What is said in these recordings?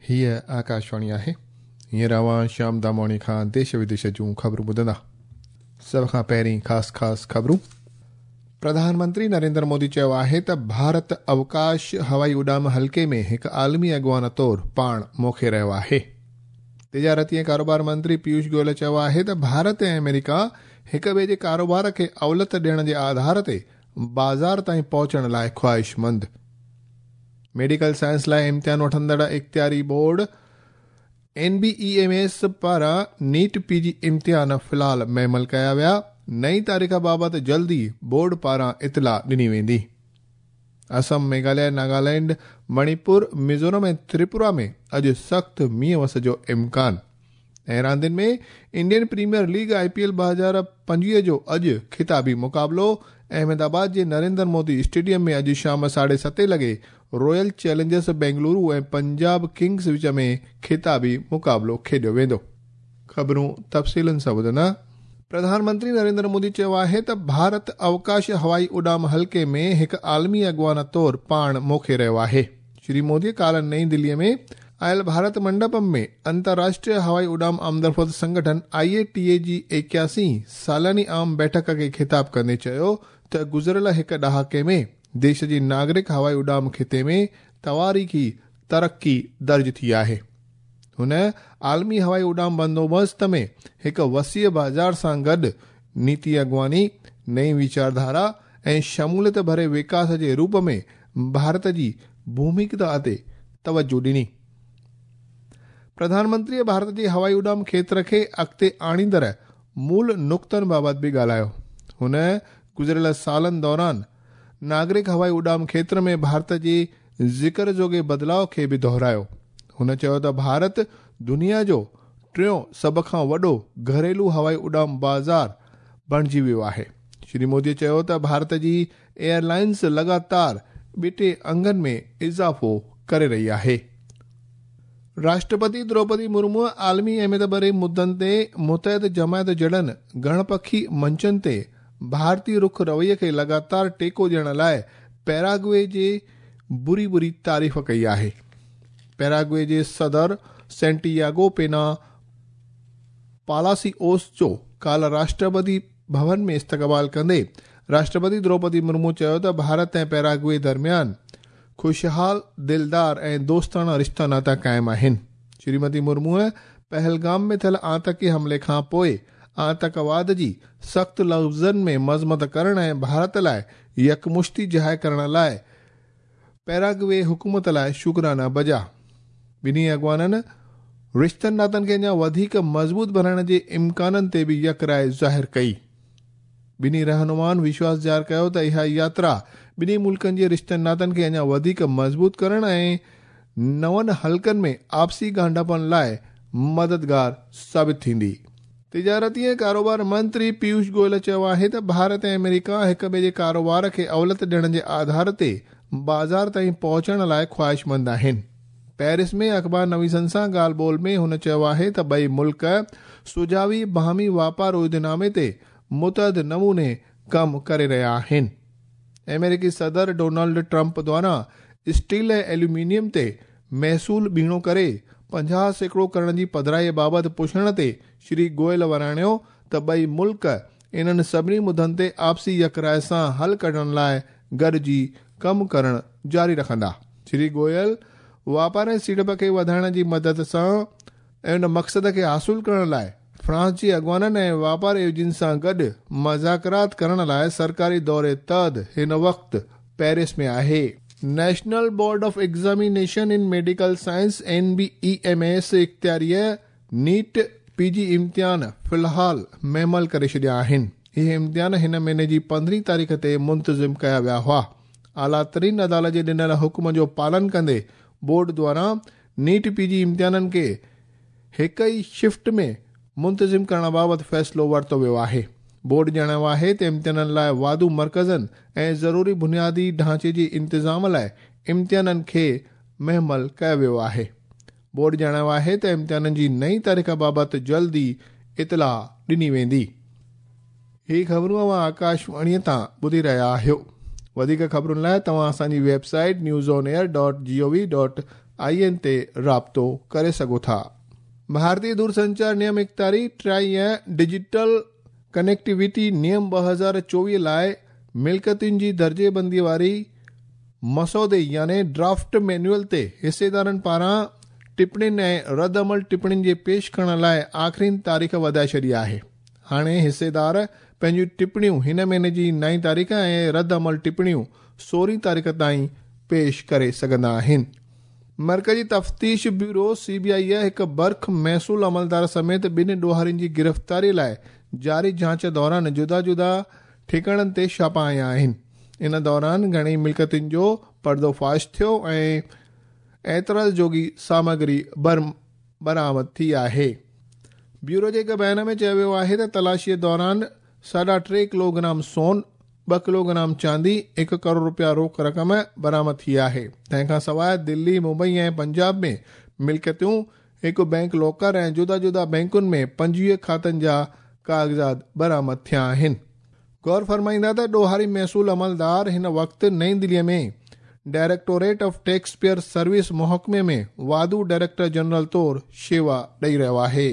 هيء آڪاشواڻي آهي. هينئر اوهان شيام دامواڻي کان ديش وديش جون خبرون ٻڌندا. سڀ کان پهرين خاص خاص خبرون. پرڌان منتري نريندر مودي چيو آهي ته ڀارت اوڪاش هوائي اڏام حلقي ۾ هڪ عالمي اڳواڻ طور پاڻ موکي رهيو آهي. تجارتي ۽ ڪاروبار منتري پيوش گويل چيو آهي ته ڀارت ۽ آمريڪا هڪ ٻئي جي ڪاروبار کي اوليت ڏيڻ جي آڌار تي بازار تائين پهچڻ لاء خواهشمند. ميڊيڪل سائنس لاء امتحان وٺندڙ اختياري board N B E M S پاران نيٽ پي جي امتحان في الحال مهمل ڪيا ويا، نئين تاريخ بابت جلد ئي بورڊ پاران اطلاع ڏني ويندي. اسم، ميگهاليه، ناگالينڊ، مڻيپور، ميزورم ۽ تريپورا ۾ اڄ سخت مينهن وس جو امڪان. ۽ راندين ۾ Indian Premier League I P L 2025 جو اڄ خطابي مقابلو احمد آباد جي نريندر مودي اسٽيڊيم ۾ اڄ شام ساڍي ستين لڳي Royal Challengers Bengaluru ۽ Punjab Kings وچ ۾ خطابي مقابلو کيڏيو ويندو. خبرون تفصيلن سان ٻڌندا. پرڌان منتري نريندر مودي چيو آهي ته ڀارت اوڪاش هوائي اڏام حلقي ۾ هڪ عالمي اڳواڻ طور پاڻ موکي رهيو آهي. شري مودي ڪالهه نئين دلي ۾ آيل ڀارت منڊپم ۾ انترراشٽريه هوائي اڏام آمدرفت سنگٺن آء اي ٽي اي جي ايڪياسين سالياني عام بيٺڪ کي خطاب ڪندي چيو ته گذريل هڪ ڏهاڪي ۾ ديش جي ناگرڪ هوائي اڏام خطي ۾ تواريخي ترقي درج ٿي آهي. هن عالمي هوائي اڏام بندوبست ۾ هڪ وسيع بازار سان گڏ نيتي اڳواڻي، نئين ويچارڌارا ۽ شموليت ڀري وڪاس جي روپ ۾ ڀارت جي ڀومڪا تي توجهه ڏني. پرڌان منتريء ڀارت جي هوائي اڏام کيتر کي اڳتي آڻيندڙ مول نقطن بابت به ڳالهايو. هن گذريل سالن دوران ناگرڪ هوائي اڏام کيتر ۾ ڀارت جي ذڪر جوڳي بدلاء کي به دهرايو. هن چيو ته ڀارت دنيا جو ٽيون سڀ کان وڏو گهريلو هوائي اڏام بازار بڻجي ويو آهي. شري مودي چيو ته ڀارت جي ايئر لائنز لڳاتار ٻٽي انگن ۾ اضافو ڪري رهي آهي. راشٽرپتي دروپدي مرمو عالمي اهميت ڀري مدن تي متحد جماعت جهڙن گهڻ پکي منچن تي ڀارتي رخ رويي کي لڳاتار ٽيڪو ڏيڻ لاء پيراگوي جي بري بري تعريف ڪئي آهي. پيراگوي جي صدر سينٽياگو پينا پالاسيوس جو ڪالهه راشٽرپتي ڀون ۾ استقبال ڪندي راشٽرپتي دروپدي مرمو چيو ته ڀارت ۽ پيراگوي درميان خوشحال، دلدار ۽ دوستاڻا رشتا ناتا قائم آهن. شريمتي مرموء پهلگام ۾ ٿيل آتنڪي حملي کان پوء آتنڪواد جي سخت لفظن ۾ مذمت ڪرڻ ۽ ڀارت لاء يڪمشتي ظاهر ڪرڻ لاء پيراگوي حڪومت لاء شڪرانا بجا. ٻنهي اڳواڻن رشتن ناتن کي اڃا وڌيڪ مضبوط بڻائڻ جي امڪانن تي به يڪ راء ظاهر ڪئي. ٻنهي رهنمائن وشواس ظاهر ڪيو ته اها ياترا ٻنهي ملڪن جي رشتن ناتن کي اڃا وڌيڪ مضبوط ڪرڻ ۽ نون حلقن ۾ آپسي ڳانڍاپن لاء مددگار ثابت ٿيندي. تجارتي ۽ ڪاروبار منتري پيوش گويل چيو آهي ته ڀارت ۽ آمريڪا هڪ ٻئي جي ڪاروبار کي اوليت ڏيڻ جي آڌار تي بازار تائين پهچڻ لاء خواهشمند آهن. پيرس ۾ اخبار نويسن سان ڳالهه ٻولهه ۾ هن چيو آهي ته ٻئي ملڪ سجاوي باهمي واپار عهدنامي تي متحد نموني ڪم ڪري رهيا آهن. آمريڪي صدر ڊونلڊ ٽرمپ دواران اسٽيل ۽ ايلومينيم تي محصول ٻيڻو ڪري 50% ڪرڻ جي پڌرائي بابت پڇڻ تي شري گويل وراڻيو ته ٻئي ملڪ انهن سڀني مدن تي آپسي يڪراء سان حل ڪڍڻ لاء گڏجي ڪم ڪرڻ جاري رکندا. شري گويل واپار ۽ سيڙپ کي وڌائڻ جي مدد سان ۽ ان مقصد کي حاصل ڪرڻ لاء فرانس جي اڳواڻن ۽ واپار ايجنسين سان گڏ مذاڪرات ڪرڻ لاء سرڪاري دوري تحت هن وقت پيرس ۾ آهي. National Board of Examination in Medical Science, N B E M S, اختياريء NEET P جي امتحان في الحال مهمل ڪري ڇڏيا آهن. اهي امتحان هن مهيني جي پندرهين تاريخ تي منتظم ڪيا ويا هئا. اعليٰ ترين عدالت جي ڏنل حڪم جو پالن ڪندي بورڊ دواران نيٽ پي جي امتحانن کي هڪ ئي شفٽ ۾ منتظم ڪرڻ بابت فيصلو ورتو ويو آهي. بورڊ ڄاڻايو آهي ته امتحانن لاء واڌو مرڪزن ۽ ضروري بنيادي ڍانچي جي انتظام لاء امتحانن کي مهمل ڪيو ويو آهي. بورڊ ڄاڻايو آهي ته امتحانن جي نئين تاريخ بابت جلد ئي اطلاع ڏني ويندي. هي خبرون اوهان آڪاشواڻيء تان ٻڌي رهيا آهيو. وڌيڪ خبرن لاء توهان اسان جي website news on air dot G O V dot I N تي رابطو ڪري سگهو ٿا. ڀارتي دورسنچار نيم اختياري ٽرائي ۽ ڊجيٽل ڪنيڪٽيوٽي نيم 2024 لاء ملڪيتن جي درجي بندي واري مسودي يعني ڊرافٽ مينيوئل تي حصيدارن پاران ٽپڻين ۽ رد عمل ٽپڻين جي پيش ڪرڻ لاء آخرين تاريخ وڌائي ڇڏي آهي. هاڻي حصيدار پنهنجون ٽپڻيون هن مهيني جي نائين تاريخ ۽ رد عمل ٽپڻيون سورهين تاريخ تائين پيش ڪري سگهندا آهن. مرڪزي تفتيش بيورو، سي بي آء، هڪ برک محصول عملدار سميت ٻن ڏوهارين جي گرفتاري لاء جاري جاچ دوران جدا جدا ٺڪاڻن تي ڇاپا هنيا آهن. ان دوران گهڻي ملڪيتن جو پردو فاش ٿيو ۽ اعتراض جوڳي سامگري برآمد ٿي آهي. بيورو جي هڪ بيان ۾ چيو ويو آهي ته تلاشي دوران ساڍا ٽي ڪلوگرام سون، ٻه ڪلوگرام چاندي، هڪ ڪروڙ رپيا روڪ رقم برآمد ٿي آهي. تنهن کان سواء دلي، ممبئي ۽ پنجاب ۾ ملڪيتون، هڪ بئنڪ لاڪر ۽ جدا جدا بئنڪن ۾ 25 کاتن جا ڪاغذات برآمد ٿيا آهن. غور فرمائيندا ته ڏوهاري محصول عملدار هن وقت نئين دلي ۾ directorate of tax payer service محڪمي ۾ واڌو ڊائريڪٽر جنرل طور شيوا ڏئي رهيو آهي.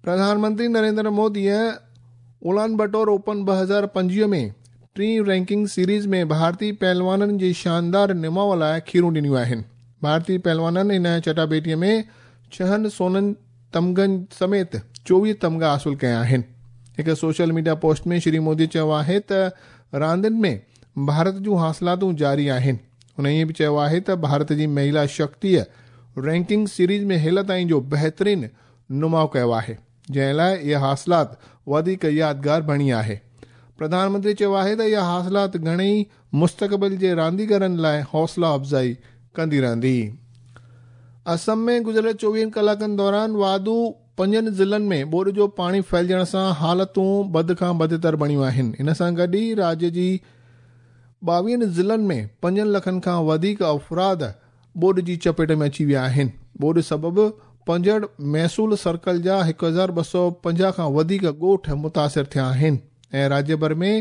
Pradhan Mantri Narendra موديء اولان بٽور open 2025 ۾ ten ranking series ۾ ڀارتي پهلوانن جي شاندار نماء لاء کيرون ڏنيون آهن. ڀارتي پهلوانن هن چٽاڀيٽيء ۾ ڇهن سونن تمغن سميت 24 تمغا حاصل ڪيا آهن. هڪ social media post ۾ Shri Modi چيو آهي ته راندين ۾ ڀارت جون حاصلاتون جاري آهن. هن ائين به چيو آهي ته ڀارت جي مهيلا شڪتيء رينڪنگ سيريز ۾ هيل تائين جو بهترين نماء ڪيو آهي، جنهن لاء اها حاصلات وڌيڪ يادگار بڻي آهي. پرڌان منتري چيو آهي ته اها حاصلات گهڻي ئي مستقبل جي رانديگرن لاء حوصلا افزائي ڪندي رهندي. اسم ۾ گذريل 24 ڪلاڪن دوران واڌو پنجن ضلعن ۾ ٻوڏ جو پاڻي ڦهلجڻ سان حالتون بد کان بدتر بڻيون آهن. ان سان گڏ ئي راڄ جي 22 ضلعن ۾ پنجن لکن کان وڌيڪ افراد ٻوڏ جي چپيٽ ۾ اچي ويا آهن. ٻوڏ سبب 65 محصول سرڪل جا 1250 کان وڌيڪ ڳوٺ متاثر ٿيا آهن ۽ راڄ ڀر ۾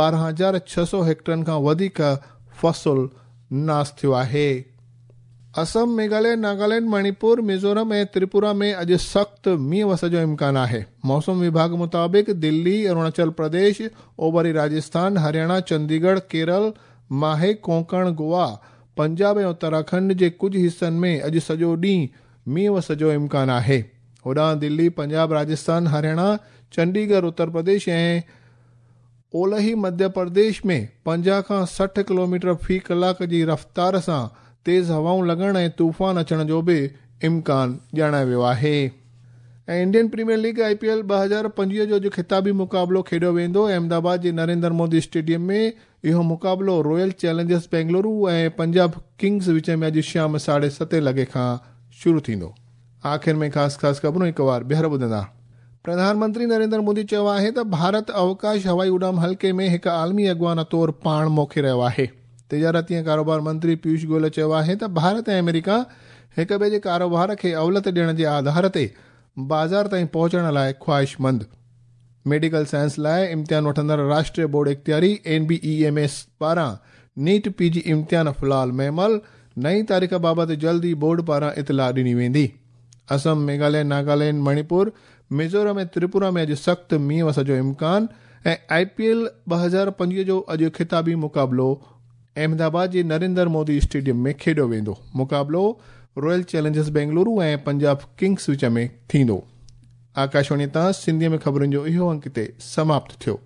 12600 هيڪٽرن کان وڌيڪ فصل ناس ٿيو آهي. اسم، ميگهاليه، ناگالينڊ، مڻيپور، ميزورم ۽ تريپورا ۾ اڄ سخت مينهن وس جو امڪان آهي. موسم وڀاڳ مطابق دلي، اروناچل پرديش، اوڀري راجسٿان، هرياڻا، چنديڳڙهه، ڪيرل، ماهي، ڪونڪڻ، گوا، پنجاب ۽ اتراکنڊ جي ڪجهه حصن ۾ اڄ سڄو ڏينهن مينهن وس جو امڪان آهي. هوڏانهن دلي، پنجاب، راجسٿان، هرياڻا، چنڊيڳڙهه، اتر پرديش ۽ اولهي مڌيه پرديش ۾ 50 کان 60 ڪلوميٽر في ڪلاڪ جي رفتار سان تيز هوائون لڳڻ ۽ طوفان اچڻ جو به امڪان ڄاڻايو ويو آهي. ۽ Indian Premier League, I P L, 2025 جو اڄ خطابي مقابلو کيڏيو ويندو. احمد آباد جي نريندر مودي اسٽيڊيم ۾ اهو مقابلو Royal Challengers Bengaluru ۽ Punjab Kings وچ ۾ اڄ شام ساڍي ستين لڳي کان شروع ٿيندو. آخر ۾ خاص خاص خبرون هڪ وار ٻيهر ٻڌندا. پرڌان منتري نريندر مودي چيو آهي ته ڀارت اوڪاش هوائي اڏام حلقي ۾ هڪ عالمي اڳواڻ طور پاڻ موکي رهيو آهي. تجارتي ۽ ڪاروبار منتري پيوش گويل چيو آهي ته ڀارت ۽ آمريڪا هڪ ٻئي جي ڪاروبار کي اولت ڏيڻ جي آڌار تي بازار تائين پهچڻ لاء خواهشمند. ميڊيڪل سائنس لاء امتحان وٺندڙ راشٽريه بورڊ اختياري N B E M S پاران نيٽ پي جي امتحان في الحال معمل، نئين تاريخ بابت جلد ئي بورڊ پاران اطلاع ڏني ويندي. اسم، ميگهاليه، ناگالينڊ، مڻيپور، ميزورم ۽ تريپورا ۾ اڄ سخت مينهن وس جو امڪان ۽ آء پي ايل 2025 جو اڄ خطابي مقابلو احمد آباد جي نريندر مودي اسٽيڊيم ۾ کيڏيو ويندو. مقابلو royal challengers Bengaluru ۽ Punjab kings وچ ۾ ٿيندو. آڪاشواڻي تان سنڌيء ۾ خبرن جو اهو انڪ هتي سماپت ٿيو.